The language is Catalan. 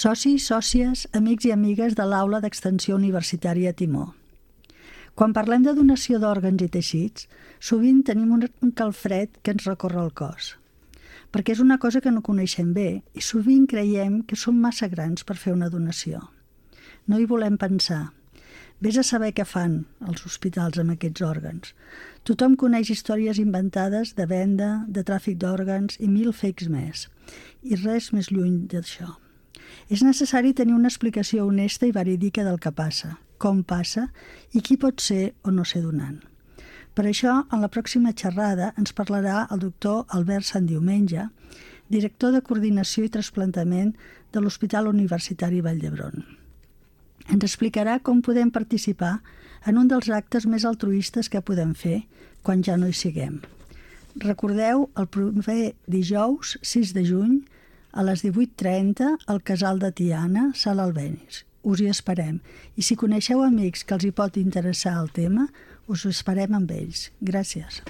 Socis, sòcies, amics i amigues de l'Aula d'Extensió Universitària Timó. Quan parlem de donació d'òrgans i teixits, sovint tenim un calfred que ens recorre el cos, perquè és una cosa que no coneixem bé i sovint creiem que som massa grans per fer una donació. No hi volem pensar. Vés a saber què fan els hospitals amb aquests òrgans. Tothom coneix històries inventades de venda, de tràfic d'òrgans i 1000 fakes més. I res més lluny d'això. És necessari tenir una explicació honesta i verídica del que passa, com passa i qui pot ser o no ser donant. Per això, en la pròxima xerrada ens parlarà el doctor Albert Santdiumenge, director de Coordinació i Trasplantament de l'Hospital Universitari Vall d'Hebron. Ens explicarà com podem participar en un dels actes més altruistes que podem fer quan ja no hi siguem. Recordeu, el proper dijous, 6 de juny, a les 18:30, al Casal de Tiana, Sala Albéniz. Us hi esperem. I si coneixeu amics que els hi pot interessar el tema, us esperem amb ells. Gràcies.